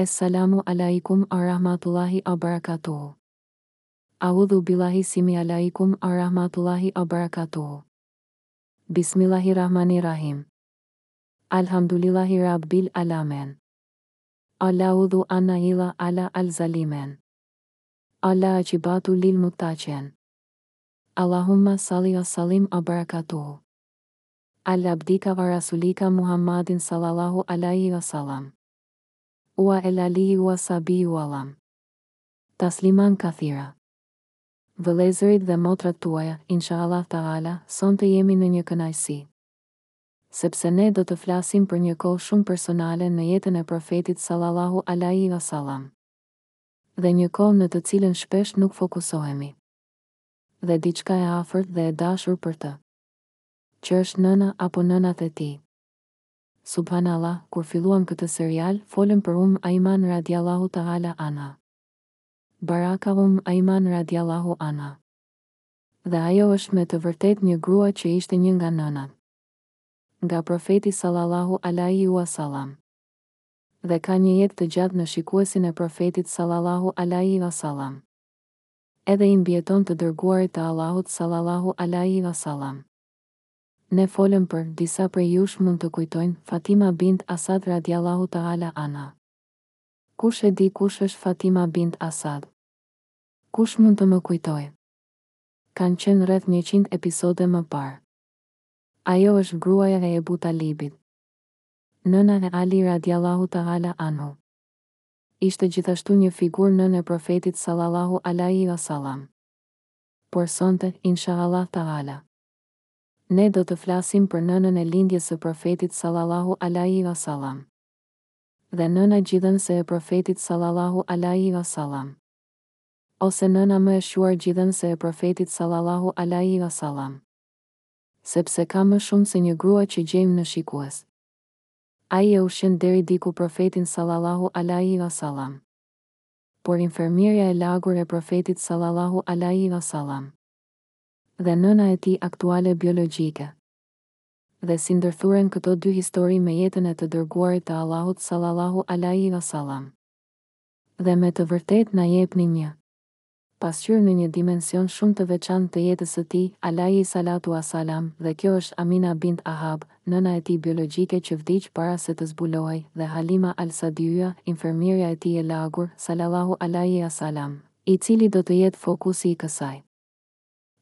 Es-salamu alaikum ua rahmatullahi ua barakatuhu. Audhu billahi simi alaikum ua rahmatullahi ua barakatuhu. Bismillahirrahmanirrahim. Alhamdulillahi rabbil alamen. Ala udhu anna illa ala al zalimen. Ala aqibatu lil muttaqen. Allahumma salli wa sallim wa barakatuhu. Ala abdika wa rasulika Muhammadin sallallahu alaihi wa sallam. Ua el alihi ua sahbihi ua lam. Tasliman kathira. Vëllezërit dhe motrat tuaja, inshallah ta'ala, sonte jemi në një kënaqësi. Sepse ne do të flasim për një kohë shumë personale në jetën e Profetit sallallahu alaihi wa sallam. Dhe një kohë në të cilën shpesh nuk fokusohemi. Dhe diçka e afërt dhe e dashur për të. Që është nëna apo nënat e tij. Subhanallah, kur filluam këtë serial, folëm për Umm Aiman radiallahu ta'ala anha. Baraka Umm Aiman radiallahu anha. Dhe ajo është me të vërtetë një grua që ishte një nga nënat. Nga Profeti sallallahu alaihi ua sallam. Dhe ka një jetë të gjatë në shikuesin e Profetit sallallahu alaihi ua sallam. Edhe i mbijeton të dërguarit të Allahut sallallahu alaihi ua sallam. Ne folëm për, disa prej jush mund të kujtojnë, Fatima bint Asad radiallahu ta'ala anha. Kush e di kush është Fatima bint Asad? Kush mund të më kujtojë? Kanë qenë rreth 100 episode më parë. Ajo është gruaja e Ebu Talibit. Nëna e Ali radiallahu ta'ala anhu. Ishte gjithashtu një figurë nënë e Profetit sallallahu alaihi wasallam. Por sonte, inshallah ta'ala, ne do të flasim për nënën e lindjes së Profetit sallallahu alaihi wasallam. Dhe nëna gjidhënëse e Profetit sallallahu alaihi wasallam. Ose nëna më e shquar gjidhënëse e Profetit sallallahu alaihi wasallam. Sepse ka më shumë se një grua që gjejmë në shikues. Ai e ushqen deri diku Profetin sallallahu alaihi wasallam. Por infermierja e lagur e Profetit sallallahu alaihi wasallam. Dhe nëna e tij aktuale biologjike. Dhe si ndërthuren këto dy histori me jetën e të Dërguarit të Allahut sallallahu alaihi wasallam. Dhe me të vërtetë na jepni një pasqyrë në një dimension shumë të veçantë të jetës së tij, alaihi salatu wasalam, dhe kjo është Amina bint Ahab, nëna e tij biologjike që vdiq para se të zbulohej, dhe Halima al-Sadiya, infermierja e tij e lagur, salallahu alaihi wasalam, i cili do të jetë fokusi i kësaj.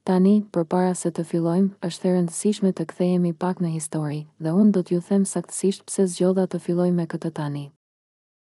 Tani, përpara se të fillojmë, është e rëndësishme të kthehemi pak në histori, dhe unë do t'ju them saktësisht pse zgjodha të filloj me këtë tani.